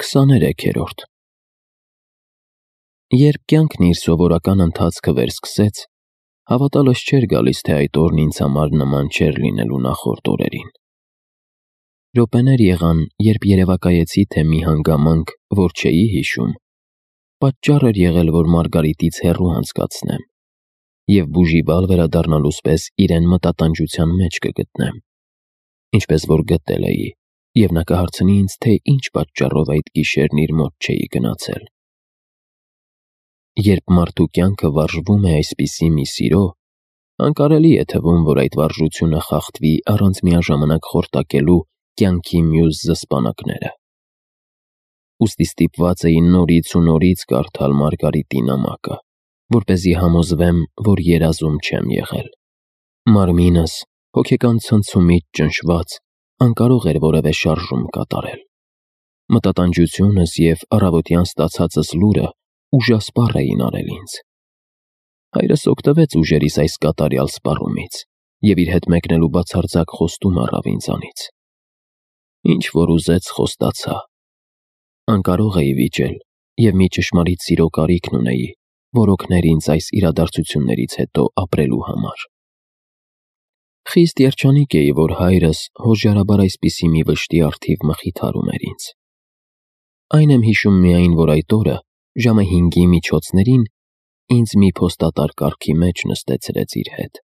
23-րդ Երբ կյանքն իր սովորական ընթացքը վերսկսեց, հավատալս չէր գալիս, թե այդ օրն ինձ համար նման չէր լինելու նախորդ օրերին։ Րոպեներ եղան, երբ երևակայեցի, թե մի հանգամանք, որ չէի հիշում, պատճառ էր եղել, որ Մարգարիտից հեռու անցկացնեմ, և բուժիվալ վերադառնալուց պես իրեն մտատանջության մեջ կգտնեմ, ինչպես որ գտել էի, և նա կհարցնի ինձ, թե ինչ պատճառով այդ գիշերն իր մոտ չէի գնացել։ Երբ մարդու կյանքը վարժվում է այսպիսի մի սիրո, անկարելի է թվում, որ այդ վարժությունը խախտվի առանց միաժամանակ խորտակելու կյանքի մյուս զսպանակները։ Ուստի ստիպված էի նորից ու նորից կարդալ Մարգարիտի նամակը, որպեսզի համոզվեմ, որ երազում չեմ եղել։ Մարմինս, հոգեկան ցնցումից ճնշված, անկարող էր որևէ շարժում կատարել։ Մտատանջությունս և առավոտյան ստացածս լուրը ուժասպառ էին արել ինձ։ Հայրս օգտվեց ուժերիս այս կատարյալ սպառումից և իր հետ մեկնելու բացարձակ խոստում առավ ինձանից։ Ինչ որ ուզեց, խոստացա։ Անկարող էի վիճել և մի ճշմարիտ սիրո կարիքն ունեի, որ օգներ ինձ այս իրադարձություններից հետո ապրելու համար։ Խիստ երջանիկ էի, որ հայրս հոժարաբար այսպիսի մի վշտի առթիվ մխիթարում էր ինձ։ Այն եմ հիշում միայն, որ այդ օրը, ժամը 5-ի միջոցներին, ինձ մի փոստատար կառքի մեջ նստեցրեց իր հետ։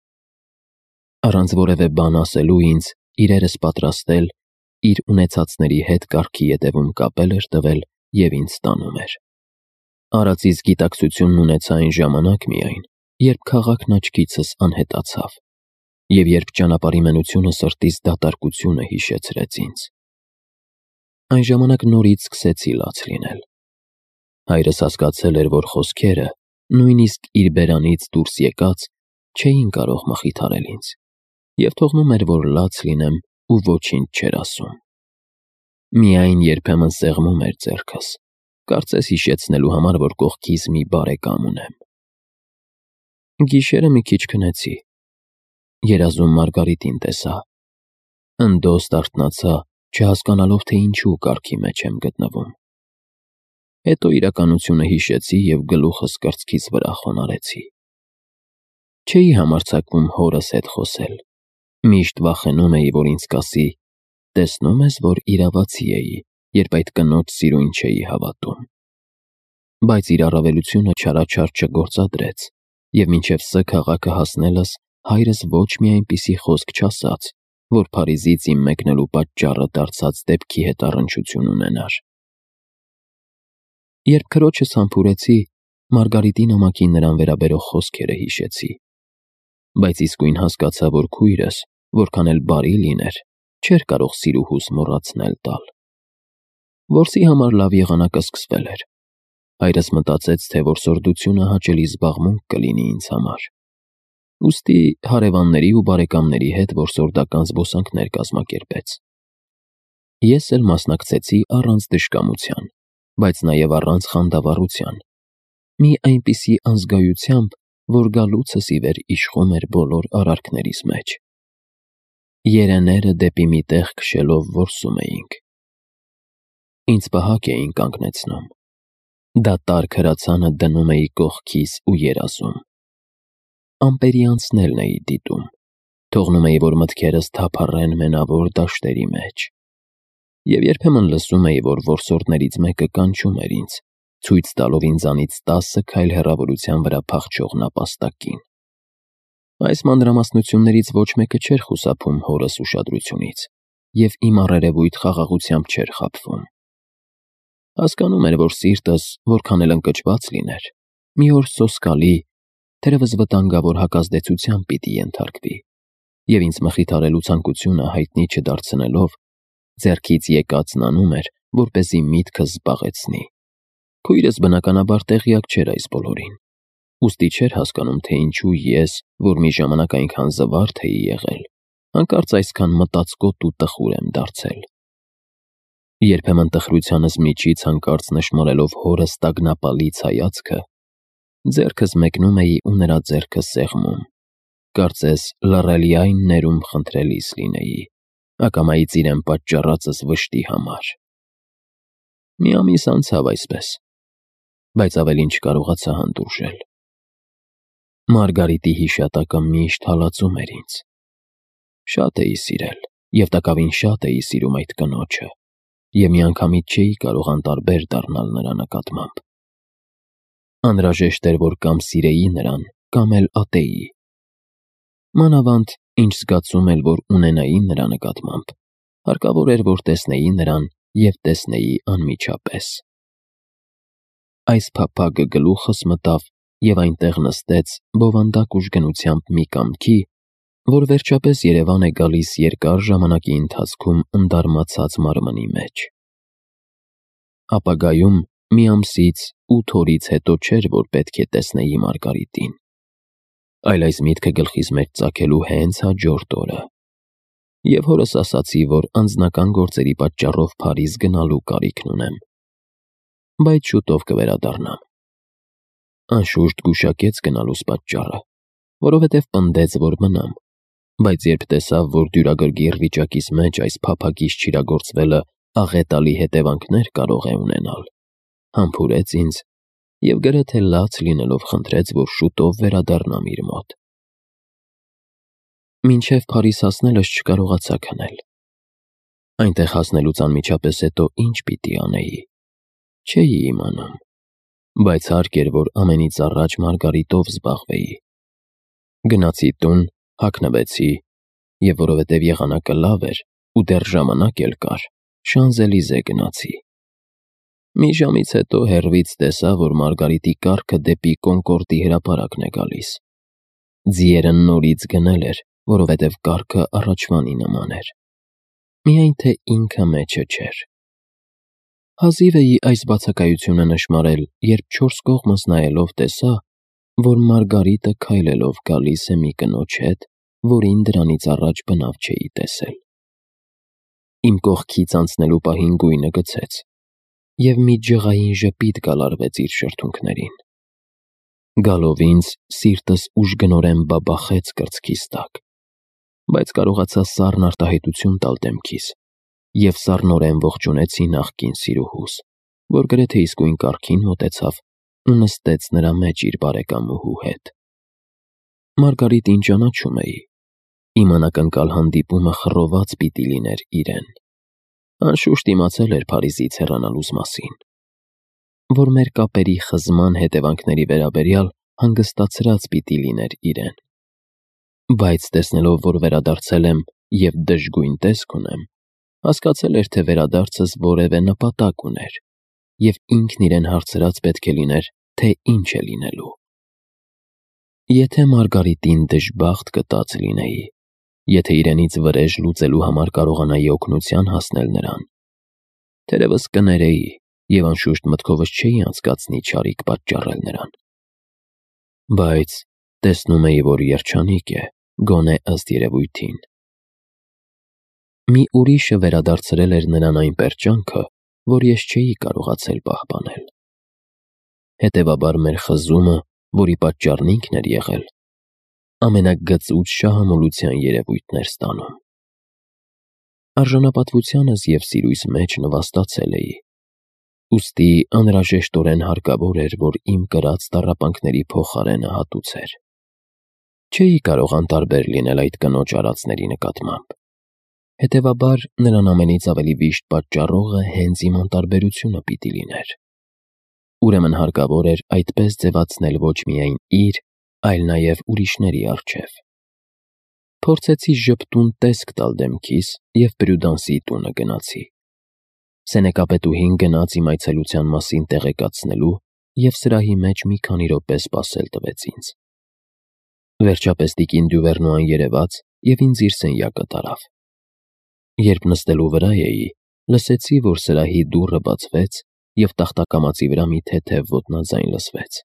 Առանց որևէ բան ասելու ինձ իրերս պատրաստել, իր ունեցածների հետ կառքի ետևում կապել էր տվել և ինձ տանում էր։ Արածից գիտակցությունն ունեցա այն ժամանակ միայն, երբ քաղաքն աչքիցս անհետացավ, և երբ ճանապարհի մենությունը սրտիս դատարկությունը հիշեցրեց ինձ։ Այն ժամանակ նորից սկսեցի լաց լինել։ Հայրս հասկացել էր, որ խոսքերը, նույնիսկ իր բերանից դուրս եկած, չէին կարող մխիթարել ինձ, և թողնում էր, որ լաց լինեմ ու ոչինչ չէր ասում։ Միայն երբեմն սեղմում էր ձեռքս, կարծես հիշեցնելու համար, որ կողքիս մի բարեկամ ունեմ։ Գիշերը մի քիչ քնեցի։ Երազում Մարգարիտին տեսա։ Ընդոստ արթնացա, չհասկանալով, թե ինչու կառքի մեջ եմ գտնվում։ Հետո իրականությունը հիշեցի և գլուխս կրծքիս վրա խոնարհեցի։ Չէի համարձակվում հորս հետ խոսել։ Միշտ վախենում էի, որ ինձ կասի. «Տեսնում ես, որ իրավացի էի, երբ այդ կնոջ սիրուն չէի հավատում»։ Բայց իր առավելությունը չարաչար չգործադրեց, և մինչև Ս քաղաքը հասնելս հայրս ոչ մի այնպիսի խոսք չասաց, որ Փարիզից իմ մեկնելու պատճառը դարձած դեպքի հետ առնչություն ունենար։ Երբ քրոջս համբուրեցի, Մարգարիտի նամակին նրան վերաբերող խոսքերը հիշեցի։ Բայց իսկույն հասկացա, որ քույրս, որքան էլ բարի լիներ, չէր կարող սիրուհուս մոռացնել տալ։ Որսի համար լավ եղանակը սկսվել էր։ Հայրս մտածեց, թե որսորդությունը հաճելի զբաղմունք կլինի ինձ համար։ Ուստի հարևանների ու բարեկամների հետ որսորդական զբոսանքներ կազմակերպեց։ Ես էլ մասնակցեցի առանց դժկամության, բայց նաև առանց խանդավառության, մի այնպիսի անզգայությամբ, որ գալուցս ի վեր իշխում էր բոլոր արարքներիս մեջ։ Երեները դեպի մի տեղ քշելով որսում էինք։ Ինձ պահակ էին կանգնեցնում։ Դատարկ հրացանը դնում էի կողքիս ու երազում։ Ամպերի անցնելն էի դիտում, թողնում էի, որ մտքերս թափառեն մենավոր դաշտերի մեջ։ Եվ երբեմն լսում էի, որ որսորդներից մեկը կանչում էր ինձ, ցույց տալով ինձանից 10 քայլ հեռավորության վրա փախչող նապաստակին։ Այս մանրամասնություններից ոչ մեկը չէր խուսափում հորս ուշադրությունից, և իմ առերևույթ խաղաղությամբ չէր խաբվում։ Հասկանում էր, որ սիրտս, որքան էլ ընկճված լիներ, մի օր սոսկալի, թերևս վտանգավոր հակազդեցության պիտի ենթարկվի, և ինձ մխիթարելու ցանկությունը հայտնի չդարձնելով, ձեռքից եկածն անում էր, որպեսզի միտքս զբաղեցնի։ Քույրս բնականաբար տեղյակ չէր այս բոլորին, ուստի չէր հասկանում, թե ինչու ես, որ մի ժամանակ այնքան զվարթ էի եղել, հանկարծ այսքան մտածկոտ ու տխուր եմ դարձել։ Երբեմն տխրությանս միջից հանկարծ նշմարելով հորս տագնապալից հայացքը, ձեռքս մեկնում էի ու նրա ձեռքը սեղմում, կարծես լռելի այն ներում խնդրելիս լինեի, ակամայից իրեն պատճառածս վշտի համար։ Մի ամիս անցավ այսպես, բայց ավելին չկարողացա հանդուրժել։ Մարգարիտի հիշատակը միշտ հալածում էր ինձ։ Շատ էի սիրել, և տակավին շատ էի սիրում այդ կնոջը, և միանգամից չէի կարող անտարբեր դառնալ նրա նկատմամբ։ Անհրաժեշտ էր, որ կամ սիրեի նրան, կամ էլ ատեի։ Մանավանդ, ինչ զգացում էլ որ ունենայի նրա նկատմամբ, հարկավոր էր, որ տեսնեի նրան և տեսնեի անմիջապես։ Այս փափագը գլուխս մտավ և այնտեղ նստեց բովանդակ ուժգնությամբ մի կամքի, որ վերջապես երևան է գալիս երկար ժամանակի ընթացքում ընդարմացած մարմնի մեջ։ Ապագայում մի ամսից 8 օրից հետո չէր, որ պետք է տեսնեի Մարգարիտին, այլ այս միտքը գլխիս մեջ ծագելու հենց հաջորդ օրը, և հորս ասացի, որ անձնական գործերի պատճառով Փարիզ գնալու կարիքն ունեմ, բայց շուտով կվերադառնամ։ Անշուշտ գուշակեց գնալուս պատճառը, որովհետև պնդեց, որ մնամ, բայց երբ տեսավ, որ դյուրագրգիռ վիճակիս մեջ այս փափագից չիրագործվելը աղետալի հետևանքներ կարող է ունենալ, համբուրեց ինձ և գրեթե լաց լինելով խնդրեց, որ շուտով վերադառնամ իր մոտ։ Մինչև Փարիզ հասնելս չկարողացա քնել։ Այնտեղ հասնելուց անմիջապես հետո ինչ պիտի անեի, չէի իմանում, բայց հարկ էր, որ ամենից առաջ Մարգարիտով զբաղվեի։ Գնացի տուն, հագնվեցի և որովհետև եղանակը լավ էր ու դեռ ժամանակ էլ կար, Շանզելիզե գնացի։ Մի ժամից հետո հեռվից տեսա, որ Մարգարիտի կառքը դեպի Կոնկորդի հրապարակն է գալիս։ Ձիերը նորից գնել էր, որովհետև կառքը առաջվանի նման էր, միայն թե ինքը մեջը չէր։ Հազիվ էի այս բացակայությունը նշմարել, երբ չորս կողմս նայելով տեսա, որ Մարգարիտը քայլելով գալիս է մի կնոջ հետ, որին դրանից առաջ բնավ չէի տեսել։ Իմ կողքից անցնելու պահին գույնը գցեց, և մի ջղային ժպիտ գալարվեց իր շրթունքներին։ Գալով ինձ, սիրտս ուժգնորեն բաբախեց կրծքիս տակ, բայց կարողացա սառն արտահայտություն տալ դեմքիս և սառնորեն ողջունեցի նախկին սիրուհուս, որ գրեթե իսկույն կառքին մոտեցավ ու նստեց նրա մեջ իր բարեկամուհու հետ։ Մարգարիտին ճանաչում էի, իմ անակնկալ հանդիպումը խռոված պիտի լիներ իրեն։ Անշուշտ իմացել էր Փարիզից հեռանալուս մասին, որ մեր կապերի խզման հետևանքների վերաբերյալ հանգստացրած պիտի լիներ իրեն։ Բայց տեսնելով, որ վերադարձել եմ և դժգույն տեսք ունեմ, հասկացել էր, թե վերադարձս որևէ նպատակ ուներ, և ինքն իրեն հարցրած պետք է լիներ, թե ինչ է լինելու։ Եթե Մարգարիտին դժբախտ կտած լինեի, եթե իրենից վրեժ լուծելու համար կարողանայի օգնության հասնել նրան, թերևս կներեի և անշուշտ մտքովս չէի անցկացնի չարիք պատճառել նրան։ Բայց տեսնում էի, որ երջանիկ է, գոնե ըստ երևույթին։ Մի ուրիշը վերադարձրել էր նրան այն պերճանքը, որ ես չէի կարողացել պահպանել։ Հետևաբար մեր խզումը, որի պատճառն ինքն էր եղել, ամենագծուծ շահամոլության երևույթն էր ստանում։ Արժանապատվությանս և սիրույս մեջ նվաստացել էի, ուստի անհրաժեշտորեն հարկավոր էր, որ իմ կրած տառապանքների փոխարենը հատուցեր։ Չէի կարող անտարբեր լինել այդ կնոջ արածների նկատմամբ։ Հետևաբար նրան ամենից ավելի վիշտ պատճառողը հենց իմ անտարբերությունը պիտի լիներ։ Ուրեմն հարկավոր էր այդպես ձևացնել ոչ միայն իր, այլ նաև ուրիշների առջև։ Փորձեցի ժպտուն տեսք տալ դեմքիս և Պրյուդանսի տունը գնացի։ Սենեկապետուհին գնաց իմ այցելության մասին տեղեկացնելու և սրահի մեջ մի քանի րոպե սպասել տվեց ինձ։ Վերջապես տիկին Դյուվերնուան երևաց և ինձ իր սենյակը տարավ։ Երբ նստելու վրա էի, լսեցի, որ սրահի դուռը բացվեց և տախտակամածի վրա մի թեթև ոտնաձայն լսվեց։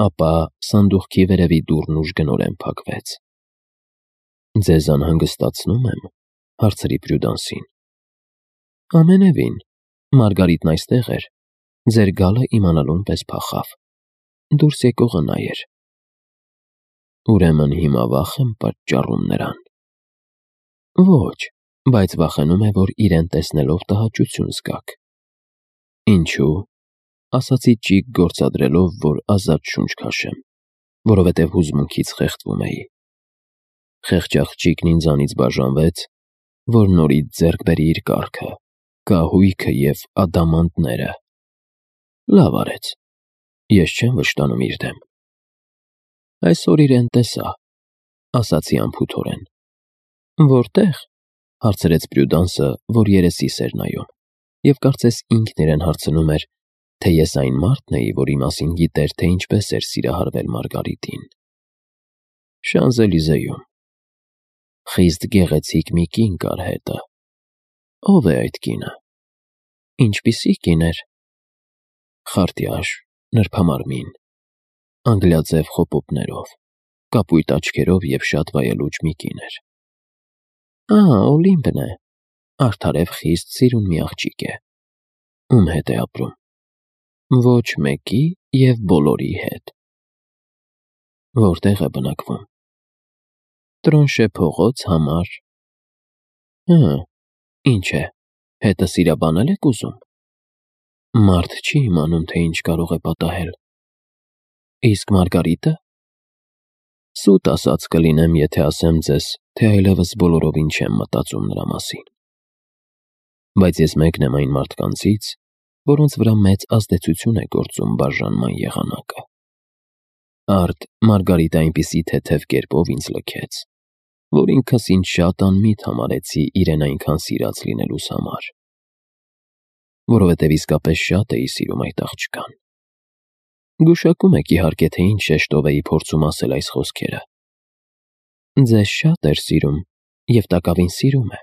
Ապա սանդուղքի վերևի դուռն ուժգնորեն փակվեց։ «Ձեզ անհանգստացնո՞ւմ եմ», հարցրի Պրյուդանսին։ «Ամենևին, Մարգարիտն այստեղ էր, ձեր գալը իմանալուն պես փախավ, դուրս եկողը նա էր»։ «Ուրեմն հիմա վախ եմ պատճառում նրան»։ «Ոչ, բայց վախենում է, որ իրեն տեսնելով տհաճություն զգաք»։ Ինչու՞, ասացի ճիգ գործադրելով, որ ազատ շունչ քաշեմ, որովհետև հուզմունքից խեղդվում էի։ Խեղճ ինձանից բաժանվեց, որ նորից ձեռք բերի իր կառքը, կահույքը և ադամանդները։ Լավ արեց, ես չեմ վշտանում իր դեմ։ Այսօր իրեն տեսա, ասացի անփութորեն։ Որտե՞ղ, հարցրեց Պրյուդանսը, որ երեսիս էր նայում, և կարծես ինքն իրեն հարցնում էր, թե ես այն մարդն էի, որի մասին գիտեր, թե ինչպես էր սիրահարվել Մարգարիտին։ Շանզելիզեում։ Խիստ գեղեցիկ մի կին կար հետը։ Ո՞վ է այդ կինը։ Ինչպիսի կին էր։ Խարտյաշ, նրբամարմին, անգլիաձև խոպոպներով, կապույտ աչքերով և շատ վայելուչ մի կին էր։ Օլիմպն է, արդարև խիստ սիրուն մի աղջիկ է։ Ում հետ է ապրում։ Ոչ մեկի և բոլորի հետ։ Որտե՞ղ է բնակվում։ Տրոնշե փողոց համար։ Ինչ է, հետը սիրաբանել եք ուզում։ Մարդ չի իմանում, թե ինչ կարող է պատահել։ Իսկ Մարգարիտը։ Սուտ ասած կլինեմ, եթե ասեմ ձեզ, թե այլևս բոլորովին չեմ մտածում նրա մասին։ Բայց ես մեկն եմ այն մարդկանցից, որոնց վրա մեծ ազդեցություն է գործում բաժանման եղանակը։ Արդ Մարգարիտը այնպիսի թեթև կերպով ինձ լքեց, որ ինքս ինձ շատ անմիտ համարեցի իրեն այնքան սիրած լինելուս համար, որովհետև իսկապես շատ էի սիրում այդ աղջկան։ Գուշակում եք իհարկե, թե ինչ շեշտով էի փորձում ասել այս խոսքերը։ Ձեզ շատ էր սիրում և տակավին սիրում է։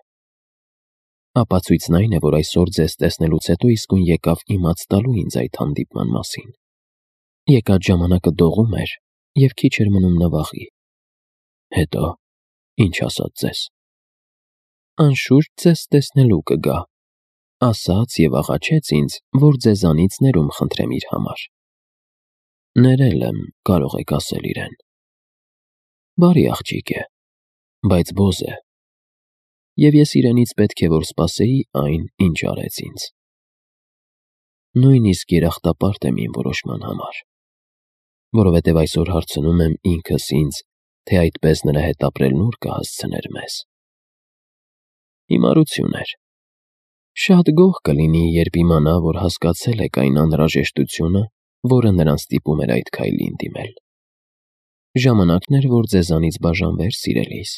Ապացույցն այն է, որ այսօր ձեզ տեսնելուց հետո իսկույն եկավ իմաց տալու ինձ այդ հանդիպման մասին։ Եկած ժամանակը դողում էր և քիչ էր մնում նվաղի։ Հետո, ինչ ասաց ձեզ։ Անշուշտ ձեզ տեսնելու կգա, ասաց և աղաչեց ինձ, որ ձեզանից ներում խնդրեմ իր համար։ Ներել եմ, կարող եք ասել իրեն։ Բարի աղջիկ է, բայց բոզ է։ Եվ ես իրենից պետք է որ սպասեի այն, ինչ արեց ինձ։ Նույնիսկ երախտապարտ եմ իմ որոշման համար, որովհետև այսօր հարցնում եմ ինքս ինձ, թե այդպես նրա հետ ապրելն ուր կհասցներ մեզ։ Հիմարություն էր։ Շատ գոհ կլինի, երբ իմանա, որ հասկացել եք այն անհրաժեշտությունը, որը նրան ստիպում էր այդ քայլին դիմել։ Ժամանակն էր, որ ձեզանից բաժանվեր սիրելիս։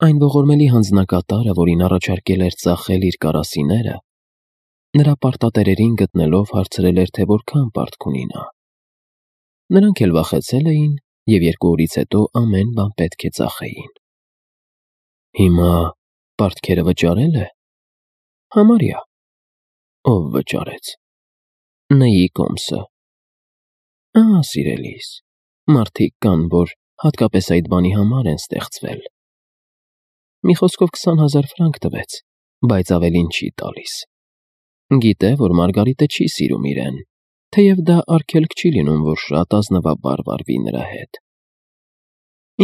Այն ողորմելի հանձնակատարը, որին առաջարկել էր ծախել իր կարասիները, նրա պարտատերերին գտնելով հարցրել էր, թե որքան պարտք ունի նա։ Նրանք էլ վախեցել էին և 2 օրից հետո ամեն բան պետք է ծախեին։ Հիմա պարտքերը վճարել է։ Համարյա։ Ով վճարեց։ Նեի կոմսը։ Սիրելիս, մարդիկ կան, որ հատկապես այդ բանի համար են ստեղծվել։ Մի խոսքով 20,000 ֆրանկ տվեց, բայց ավելին չի տալիս։ Գիտե, որ Մարգարիտը չի սիրում իրեն, թեև դա արգելք չի լինում, որ շատ ազնվաբար վարվի նրա հետ։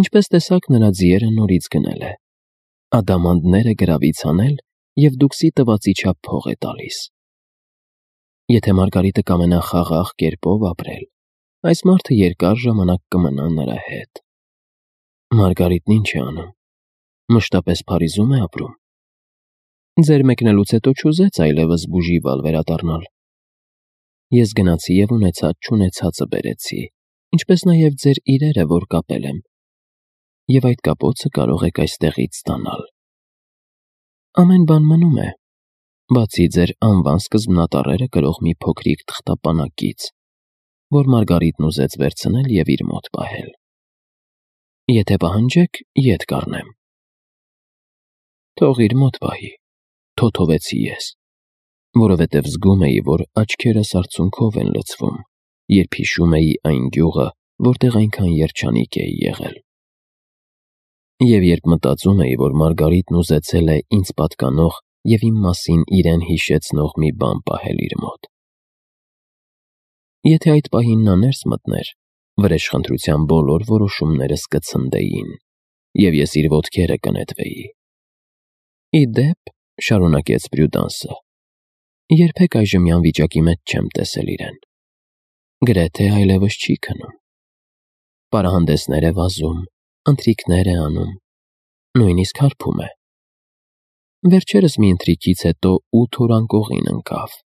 Ինչպես տեսաք, նրա ձիերը նորից գնել է։ Ադամանդները գրավից հանել և դուքսի տվածի չափ փող է տալիս։ Եթե Մարգարիտը կամենա խաղաղ կերպով ապրել, այս մարդը երկար ժամանակ կմնա նրա հետ։ Մարգարիտն ինչ է անում։ Մշտապես Փարիզում է ապրում։ Ձեր մեկնելուց հետո չուզեց այլևս բուժիվալ վերադառնալ։ Ես գնացի և ունեցած-չունեցածը բերեցի, ինչպես նաև ձեր իրերը, որ կապել եմ, և այդ կապոցը կարող եք այստեղից ստանալ։ Ամեն բան մնում է, բացի ձեր անվան սկզբնատառերը կրող մի փոքրիկ թղթապանակից, որ Մարգարիտն ուզեց վերցնել և իր մոտ պահել։ Եթե պահանջեք, ետ կառնեմ։ Թող իր մոտ պահի, թոթովեցի ես, որովհետև զգում էի, որ աչքերս արցունքով են լցվում, երբ հիշում էի այն գյուղը, որտեղ այնքան երջանիկ էի եղել։ Եվ երբ մտածում էի, որ Մարգարիտն ուզեցել է ինձ պատկանող և իմ մասին իրեն հիշեցնող մի բան պահել իր մոտ։ Եթե այդ պահին նա ներս մտներ, վրեժխնդրության բոլոր որոշումներս կցնդեին, և ես իր ոտքերը կնետվեի։ Ի դեպ, շարունակեց Պրյուդանսը, Երբեք այժմյան վիճակի մեջ չեմ տեսել իրեն։ Գրեթե այլևս չի քնում։ Պարահանդեսներ է վազում, ընթրիքներ է անում, նույնիսկ հարբում է։ Վերջերս մի ընթրիքից հետո 8 օր անկողին ընկավ։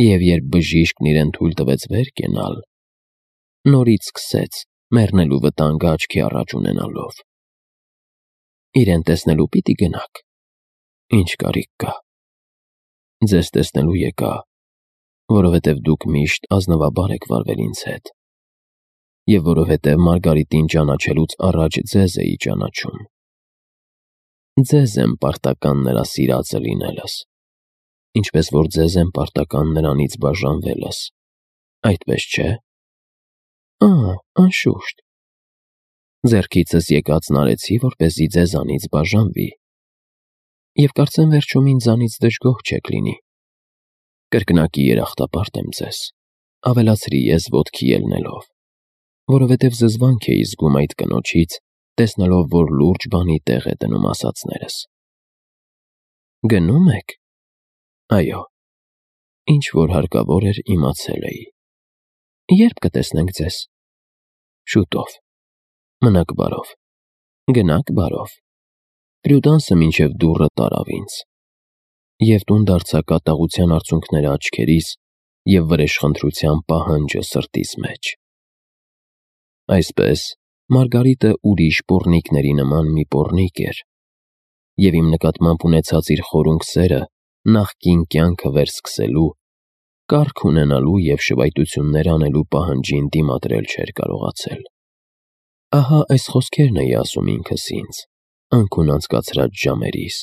Եվ երբ բժիշկն իրեն թույլ տվեց վեր կենալ, նորից սկսեց մեռնելու վտանգը աչքի առաջ ունենալով։ Իրեն տեսնելու պիտի գնաք։ Ինչ կարիք կա։ Ձեզ տեսնելու եկա, որովհետև դուք միշտ ազնվաբար եք վարվել ինձ հետ, և որովհետև Մարգարիտին ճանաչելուց առաջ ձեզ էի ճանաչում։ Ձեզ եմ պարտական նրա սիրածը լինելս, ինչպես որ ձեզ եմ պարտական նրանից բաժանվելս, այդպես չէ՞։ Անշուշտ։ Ձեռքիցս եկածն արեցի, որպեսզի ձեզանից բաժանվի, և կարծեմ վերջում ինձանից դժգոհ չեք լինի։ Կրկնակի երախտապարտ եմ ձեզ, ավելացրի ես ոտքի ելնելով, որովհետև զզվանք էի զգում այդ կնոջից, տեսնելով, որ լուրջ բանի տեղ է դնում ասածներս։ Գնում եք։ Այո, ինչ որ հարկավոր էր իմացել էի։ Երբ կտեսնենք ձեզ։ Շուտով։ Մնաք բարով։ Գնաք բարով։ Պրյուդանսը մինչև դուռը տարավ ինձ, և տուն դարձա կատաղության արցունքները աչքերիս և վրեժխնդրության պահանջը սրտիս մեջ։ Այսպես, Մարգարիտը ուրիշ պոռնիկների նման մի պոռնիկ էր, և իմ նկատմամբ ունեցած իր խորունկ սերը նախկին կյանքը վերսկսելու, կառք ունենալու և շվայտություններ անելու պահանջին դիմադրել չէր կարողացել։ Ահա այս խոսքերն էի ասում ինքս ինձ, անքուն անցկացրած ժամերիս,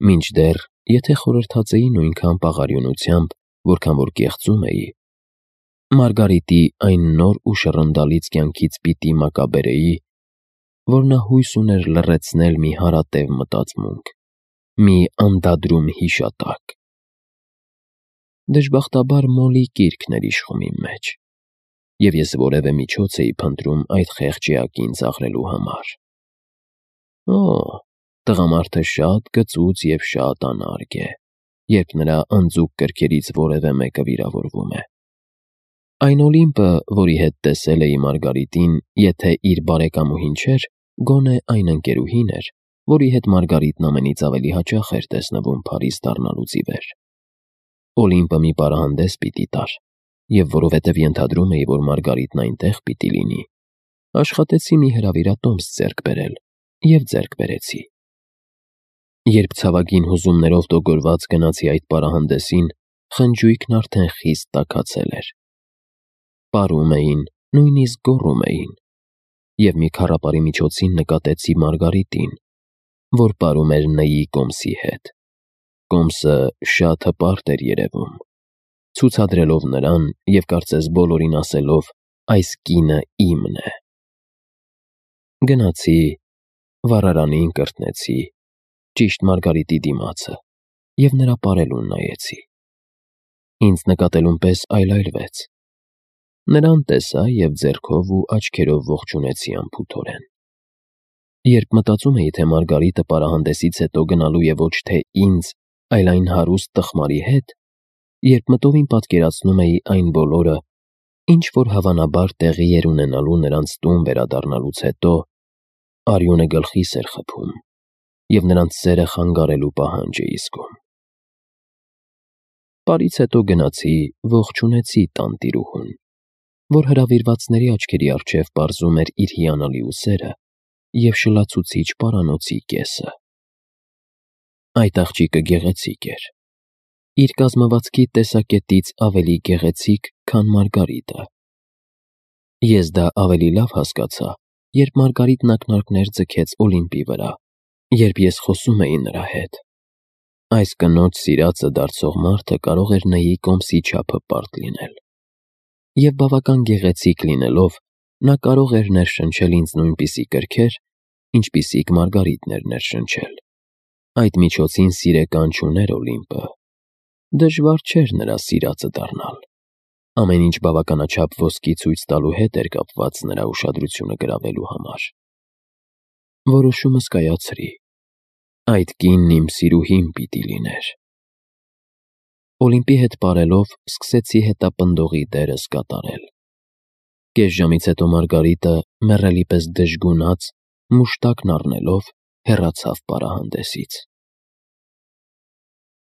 մինչդեռ, եթե խորհրդածեի նույնքան պաղարյունությամբ, որքան որ կեղծում էի, Մարգարիտի այն նոր ու շռնդալից կյանքից պիտի մակաբերեի, որ նա հույս ուներ լռեցնել մի հարատև մտածմունք, մի անդադրում հիշատակ։ Դժբախտաբար Մոլի կիրքն էր իշխում իմ մեջ, և ես որևէ միջոց էի փնտրում այդ խեղճ էակին ծաղրելու համար։ Տղամարդը շատ գծուծ և շատ անարգ է, երբ նրա անձուկ կրքերից որևէ մեկը վիրավորվում է։ Այն Օլիմպը, որի հետ տեսել էի Մարգարիտին, եթե իր բարեկամուհին չէր, գոնե այն ընկերուհին էր, որի հետ Մարգարիտն ամենից ավելի հաճախ էր տեսնվում Փարիզ դառնալուց ի վեր։ Օլիմպը մի պարահանդես պիտի տար, և որովհետև ենթադրում էի, որ Մարգարիտն այնտեղ պիտի լինի, աշխատեցի մի հրավիրատոմս ձեռք բերել, և ձեռք բերեցի։ Երբ ցավագին հուզումներով տոգորված գնացի այդ պարահանդեսին, խնջույքն արդեն խիստ տաքացել էր։ Պարում էին, նույնիսկ գոռում էին, և մի քառապարի միջոցին նկատեցի Մարգարիտին, որ պարում էր Ն-ի կոմսի հետ։ Կոմսը շատ հպարտ էր երևում, ցուցադրելով նրան և կարծես բոլորին ասելով. «Այս կինը իմն է»։ Գնացի, վառարանին կրտնեցի, ճիշտ Մարգարիտի դիմացը, և նրա պարելուն նայեցի։ Ինձ նկատելուն պես այլայլվեց։ Նրան տեսա և ձեռքով ու աչքերով ողջունեցի անփութորեն։ Երբ մտածում էի, թե Մարգարիտը պարահանդեսից հետո գնալու է ոչ թե ինձ, այլ այն հարուստ տխմարի հետ, երբ մտովին պատկերացնում էի այն բոլորը, ինչ որ հավանաբար տեղի էր ունենալու նրանց տուն վերադառնալուց հետո, արյունը գլխիս էր խփում, և նրանց սերը խանգարելու պահանջ էի զգում։ Պարից հետո գնացի, ողջունեցի տանտիրուհուն, որ հրավիրվածների աչքերի առջև պարզում էր իր հիանալի ուսերը և շլացուցիչ պարանոցի կեսը։ Այդ աղջիկը գեղեցիկ էր, իր կազմվածքի տեսակետից ավելի գեղեցիկ, քան Մարգարիտը։ Ես դա ավելի լավ հասկացա, երբ Մարգարիտն ակնարկներ ձգեց Օլիմպի վրա, երբ ես խոսում էի նրա հետ։ Այս կնոջ սիրածը դարձող մարդը կարող էր Ն-ի կոմսի չափը պարտ լինել, և բավական գեղեցիկ լինելով, նա կարող էր ներշնչել ինձ նույնպիսի կրքեր, ինչպիսիք Մարգարիտն էր ներշնչել։ Այդ միջոցին սիրեկան չուներ Օլիմպը։ Դժվար չէր նրա սիրածը դառնալ։ Ամեն ինչ բավականաչափ ոսկի ցույց տալու հետ էր կապված նրա ուշադրությունը գրավելու համար։ Որոշումս կայացրի։ Այդ կինն իմ սիրուհին պիտի լիներ։ Օլիմպի հետ պարելով սկսեցի հետապնդողի դերս կատարել։ Կես ժամից հետո Մարգարիտը, մեռելի պես դժգունած, մուշտակն առնելով, հեռացավ պարահանդեսից։